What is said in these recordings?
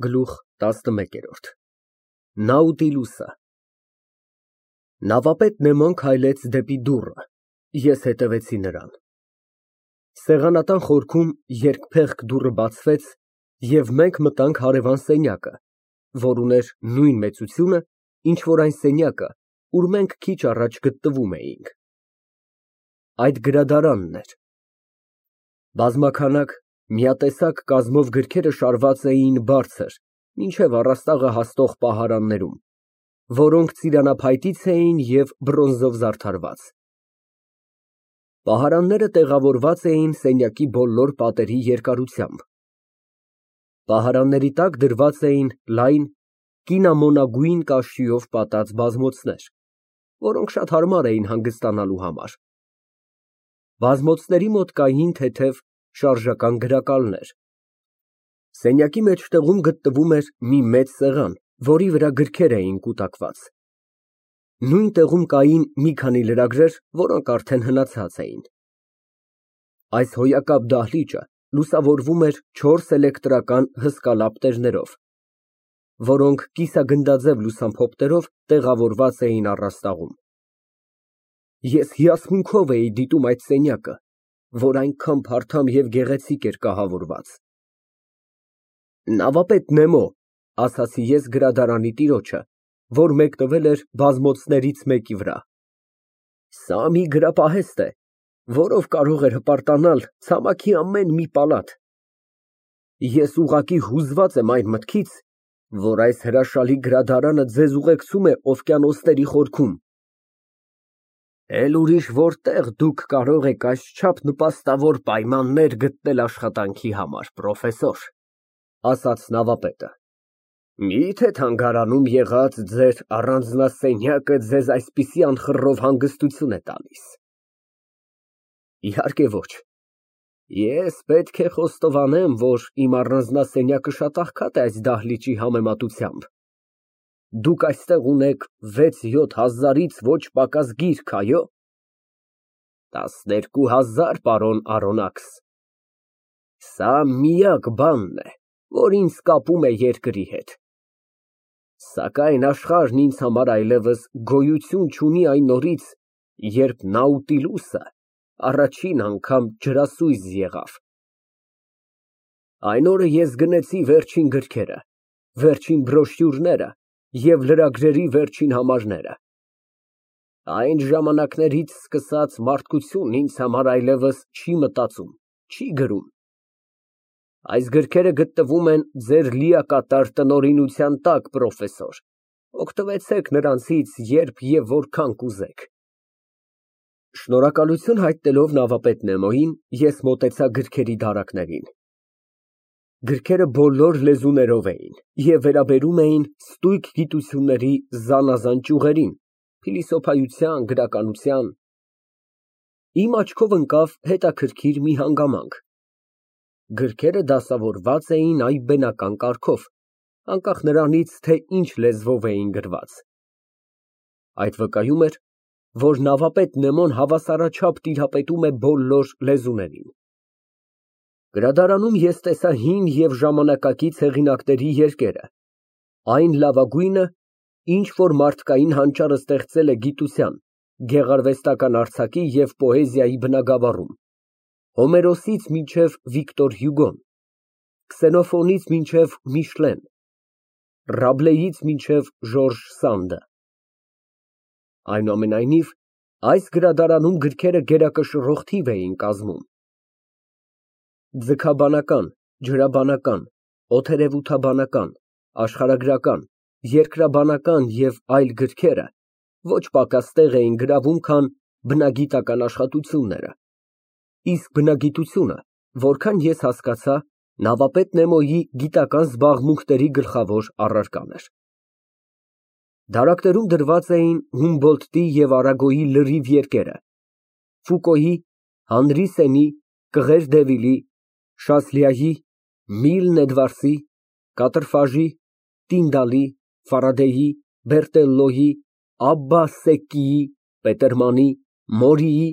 Գլուխ 11 Նաուտիլուսը Նավապետ Նեմոն քայլեց դեպի դուռը, ես հետևեցի նրան։ Սեղանատան խորքում երկփեղկ դուռը բացվեց, և մենք մտանք հարևան սենյակը, որ ուներ նույն մեծությունը, ինչ որ այն սենյակը, ուր մենք քիչ առաջ գտնվում էինք։ Այդ գրադարանն էր։ Բազմաքանակ, միատեսակ կազմով գրքերը շարված էին բարձր, մինչև առաստաղը հասնող պահարաններում, որոնք ծիրանափայտից էին և բրոնզով զարդարված։ Պահարանները տեղավորված էին սենյակի բոլոր պատերի երկարությամբ։ Պահարանների տակ դրված էին լայն, կինամոնագույն կաշիով պատած բազմոցներ, որոնք շատ հարմար էին հանգստանալու համար։ Բազմոցների մոտ կային թեթև շարժական գրակալներ։ Սենյակի մեջտեղում գտնվում էր մի մեծ սեղան, որի վրա գրքեր էին կուտակված։ Նույն տեղում կային մի քանի լրագրեր, որոնք արդեն հնացած էին։ Այս հոյակապ դահլիճը լուսավորվում էր 4 էլեկտրական հսկա լապտերներով, որոնք կիսագնդաձև լուսամփոփներով տեղավորված էին առաստաղում։ Ես հիասմունքով էի դիտում այդ սենյակը, որ այնքան փարթամ և գեղեցիկ էր կահավորված։ Նավապետ Նեմո, ասացի ես գրադարանի տիրոջը, որ մեկնվել էր բազմոցներից մեկի վրա, սա մի գրապահեստ է, որով կարող էր հպարտանալ ցամաքի ամեն մի պալատ։ Ես ուղղակի հուզված եմ այն մտքից, որ այս հրաշալի գրադարանը ձեզ ուղեկցում է օվկիանոսների խորքում։ Էլ ուրիշ որտեղ դուք կարող եք այսչափ նպաստավոր պայմաններ գտնել աշխատանքի համար, պրոֆեսոր, ասաց նավապետը։ Միթե թանգարանում եղած ձեր առանձնասենյակը ձեզ այսպիսի անխռով հանգստություն է տալիս։ Իհարկե ոչ։ Ես պետք է խոստովանեմ, որ իմ առանձնասենյակը շատ աղքատ է այս դահլիճի համեմատությամբ։ Դուք այստեղ ունեք 6-7 հազարից ոչ պակաս գիրք, այո։ 12,000, պարոն Արոնաքս։ Սա միակ բանն է, որ ինձ կապում է երկրի հետ։ Սակայն աշխարհն ինձ համար այլևս գոյություն չունի այն օրից, երբ Նաուտիլուսը առաջին անգամ ջրասույզ եղավ։ Այն օրը ես գնեցի վերջին գրքերը, վերջին բրոշյուրները և լրագրերի վերջին համարները։ Այն ժամանակներից սկսած մարդկությունն ինձ համար այլևս չի մտածում, չի գրում։ Այս գրքերը գտնվում են ձեր լիակատար տնօրինության տակ, պրոֆեսոր, օգտվեցեք նրանցից երբ և որքան կուզեք։ Շնորհակալություն հայտնելով նավապետ Նեմոյին, ես մոտեցա գրքերի դարակներին։ Գրքերը բոլոր լեզուներով էին և վերաբերում էին ստույգ գիտությունների զանազան ճյուղերին, փիլիսոփայության, գրականության։ Իմ աչքով ընկավ հետաքրքիր մի հանգամանք։ Գրքերը դասավորված էին այբբենական կարգով, անկախ նրանից, թե ինչ լեզվով էին գրված։ Այդ վկայում էր, որ նավապետ Նեմոն հավասարաչափ տիրապետում է բոլոր լեզուներին։ Գրադարանում ես տեսա հին և ժամանակակից հեղինակների երկերը, այն լավագույնը, ինչ որ մարդկային հանճարը ստեղծել է գիտության, գեղարվեստական արձակի և պոեզիայի բնագավառում, Հոմերոսից մինչև Վիկտոր Հյուգոն, Քսենոֆոնից մինչև Միշլեն, Ռաբլեից մինչև Ժորժ Սանդը։ Այնուամենայնիվ, այս գրադարանում գրքերը գերակշռող թիվ էին կազմում։ Ձգաբանական, ջրաբանական, օդերևութաբանական, աշխարհագրական, երկրաբանական և այլ գրքերը ոչ պակաս տեղ էին գրավում, քան բնագիտական աշխատությունները, իսկ բնագիտությունը, որքան ես հասկացա, նավապետ Նեմոյի գիտական զբաղմունքների գլխավոր առարկան էր։ Դարակներում դրված էին Հումբոլդտի և Արագոյի լրիվ երկերը, Ֆուկոյի, Հանրի Սենի, Կղեր Դևիլի, Շասլիայի, Միլն Էդվարդսի, Կատրֆաժի, Տինդալի, Ֆարադեի, Բերտելլոյի, Աբբա Սեկկիի, Պետերմանի, Մորիի,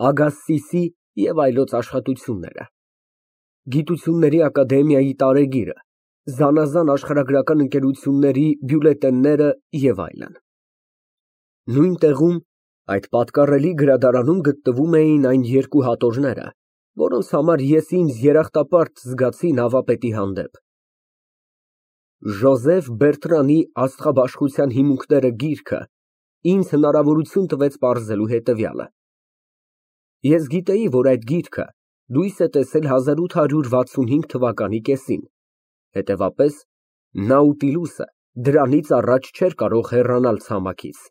Ագասսիսի և այլոց աշխատությունները, Գիտությունների ակադեմիայի տարեգիրը, զանազան աշխարհագրական ընկերությունների բյուլետենները և այլն։ Նույն տեղում, այդ պատկառելի գրադարանում գտնվում էին այն երկու հատորները, որոնց համար ես ինձ երախտապարտ զգացի նավապետի հանդեպ։ Ժոզեֆ Բերտրանի «Աստղաբաշխության հիմունքները» գիրքը ինձ հնարավորություն տվեց պարզելու հետևյալը. Ես գիտեի, որ այդ գիրքը լույս է տեսել 1865 թվականի կեսին, հետևաբար Նաուտիլուսը դրանից առաջ չէր կարող հեռանալ ցամաքից։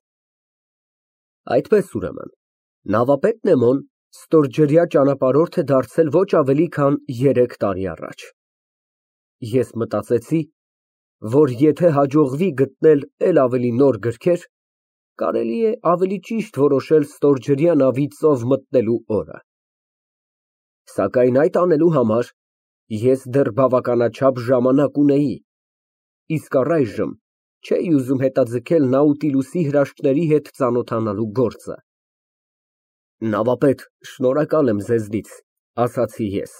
Այդպես, ուրեմն, նավապետ Նեմոն ստորջրյա ճանապարհորդ է դարձել ոչ ավելի քան 3 տարի առաջ։ Ես մտածեցի, որ եթե հաջողվի գտնել էլ ավելի նոր գրքեր, կարելի է ավելի ճիշտ որոշել ստորջրյա նավի ծով մտնելու օրը։ Սակայն այդ անելու համար ես դեռ բավականաչափ ժամանակ ունեի, իսկ առայժմ չէի ուզում հետաձգել Նաուտիլուսի հրաշքների հետ ծանոթանալու գործը։ Նավապետ, շնորհակալ եմ ձեզնից, ասացի ես,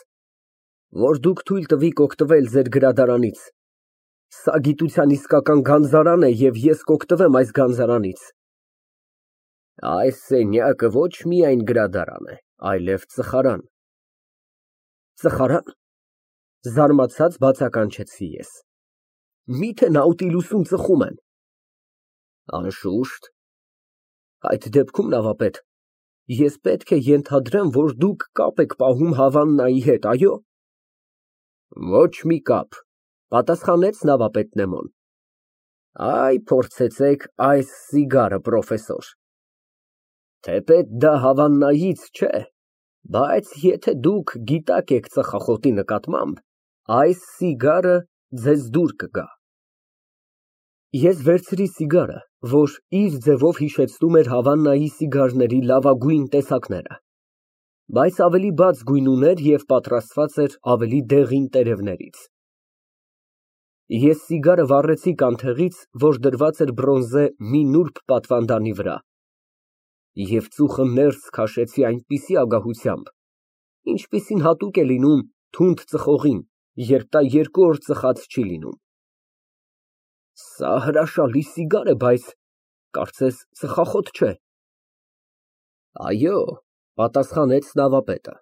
որ դուք թույլ տվիք օգտվել ձեր գրադարանից։ Սա գիտության իսկական գանձարան է և ես կօգտվեմ այս գանձարանից։ Այս սենյակը ոչ միայն գրադարան է, այլև ծխարան։ Ծխարան, զարմացած բացականչեցի ես։ Միթե Նաուտիլուսում ծխում են։ Անշուշտ։ Այդ դեպքում, նավապետ, ես պետք է ենթադրեմ, որ դուք կապ եք պահում Հավաննայի հետ, այո։ Ոչ մի կապ, պատասխանեց նավապետ Նեմոն։ Այ, փորձեցեք այս սիգարը, պրոֆեսոր։ Թեպետ դա Հավաննայից չէ, բայց եթե դուք գիտակ եք ծխախոտի նկատմամբ, այս սիգարը ձեզ դուր կգա։ Ես վերցրի սիգարը, որ իր ձևով հիշեցնում էր Հավաննայի սիգարների լավագույն տեսակները, բայց ավելի բաց գույն ուներ և պատրաստված էր ավելի դեղին տերևներից։ Ես սիգարը վառեցի կանթեղից, որ դրված էր բրոնզե մի նուրբ պատվանդանի վրա, և ծուխը ներս քաշեցի այնպիսի ագահությամբ, ինչպիսին հատուկ է լինում թունդ ծխողին, երբ նա 2 օր ծխած չի լինում։ Սա հրաշալի սիգար է, բայց կարծես ծխախոտ չէ։ Այո, պատասխանեց նավապետը,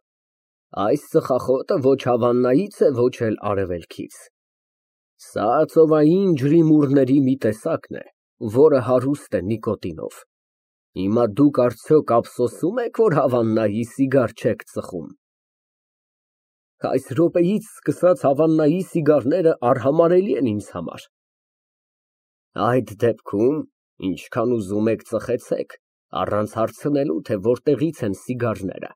այս ծխախոտը ոչ Հավաննայից է, ոչ էլ արևելքից։ Սա ծովային ջրիմուռների մի տեսակն է, որը հարուստ է նիկոտինով։ Հիմա դուք արդյոք ափսոսում եք, որ Հավաննայի սիգար չեք ծխում։ Այս րոպեից սկսած Հավաննայի սիգարները արհամարհելի են ինձ համար։ Այդ դեպքում, ինչքան ուզում եք ծխեցեք, առանց հարցնելու, թե որտեղից են սիգարները։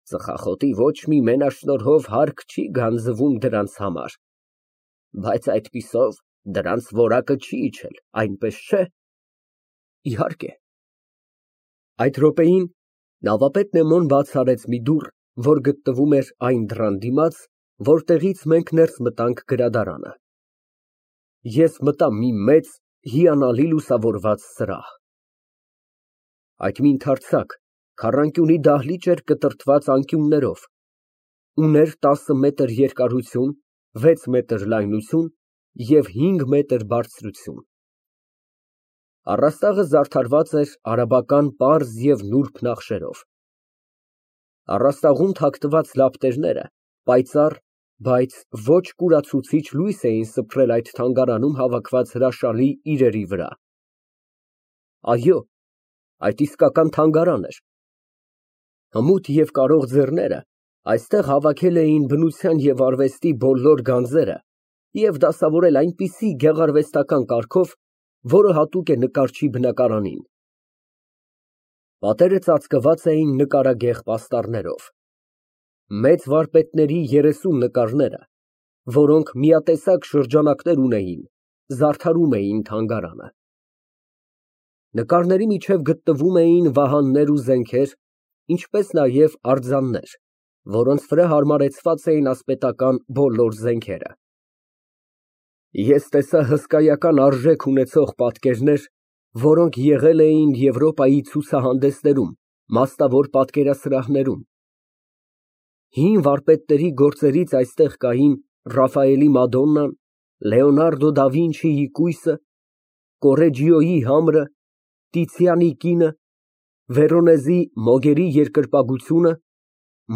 Ծխախոտի ոչ մի մենաշնորհով հարկ չի գանձվում դրանց համար, բայց այդպիսով դրանց որակը չի իջել, այնպես չէ։ Իհարկե։ Այդ րոպեին նավապետ Նեմոն բաց արեց մի դուռ, որ գտնվում էր այն դռան դիմաց, որտեղից մենք ներս մտանք գրադարանը։ Ես մտա մի մեծ, հիանալի լուսավորված սրահ։ Այդ մի ընդարձակ, քառանկյունի դահլիճ էր կտրտված անկյուններով, ուներ 10 մետր երկարություն, 6 մետր լայնություն և 5 մետր բարձրություն։ Առաստաղը զարդարված էր արաբական պարզ և նուրբ նախշերով։ Առաստաղում թաքնված լապտերները պայծառ, բայց ոչ կուրացուցիչ լույս էին սփռել այդ թանգարանում հավաքված հրաշալի իրերի վրա։ Այո, այդ իսկական թանգարան էր։ Հմուտ և կարող ձեռները այստեղ հավաքել էին բնության և արվեստի բոլոր գանձերը և դասավորել այնպիսի գեղարվեստական կարգով, որը հատուկ է նկարչի բնակարանին։ Պատերը ծածկված էին նկարագեղ պաստառներով։ Մեծ վարպետների 30 նկարները, որոնք միատեսակ շրջանակներ ունեին, զարդարում էին թանգարանը։ Նկարների միջև գտնվում էին վահաններ ու զենքեր, ինչպես նաև արձաններ, որոնց վրա հարմարեցված էին ասպետական բոլոր զենքերը։ Ես տեսա հսկայական արժեք ունեցող պատկերներ, որոնք եղել էին Եվրոպայի ցուցահանդեսներում, մասնավոր պատկերասրահներում։ Հին վարպետների գործերից այստեղ կային Ռաֆայելի Մադոննան, Լեոնարդո դա Վինչիի կույսը, Կորեջիոյի համրը, Տիցիանի կինը, Վերոնեզի Մոգերի երկրպագությունը,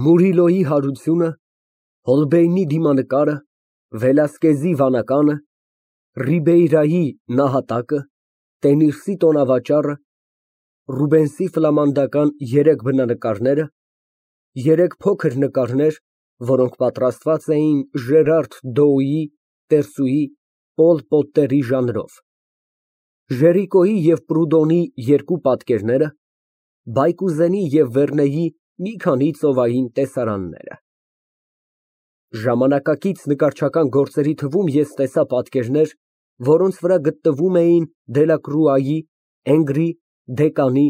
Մուրիլոյի հարությունը, Հոլբեյնի դիմանկարը, Վելասկեզի վանականը, Ռիբեյրայի նահատակը, Տենիրսի տոնավաճառը, Ռուբենսի ֆլամանդական 3 բնանկարները, 3 փոքր նկարներ, որոնք պատրաստված էին Ժերարդ Դոուի, Տերսուի, Պոլ Պոտտերի ժանրով, Ժերիկոյի և Պրուդոնի 2 պատկերները, Բայկուզենի և Վերնեի մի քանի ծովային տեսարանները։ Ժամանակակից նկարչական գործերի թվում ես տեսա պատկերներ, որոնց վրա գտնվում էին Դելակրուայի, Էնգրի, Դեկանի,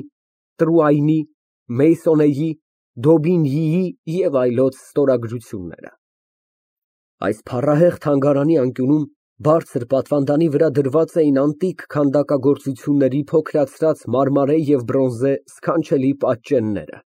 Տրուայնի, Մեյսոնեի, Դոբինյիի և այլոց ստորագրությունները։ Այս փառահեղ թանգարանի անկյունում բարձր պատվանդանի վրա դրված էին անտիկ քանդակագործությունների փոքրացած մարմարե և բրոնզե սքանչելի պատճենները։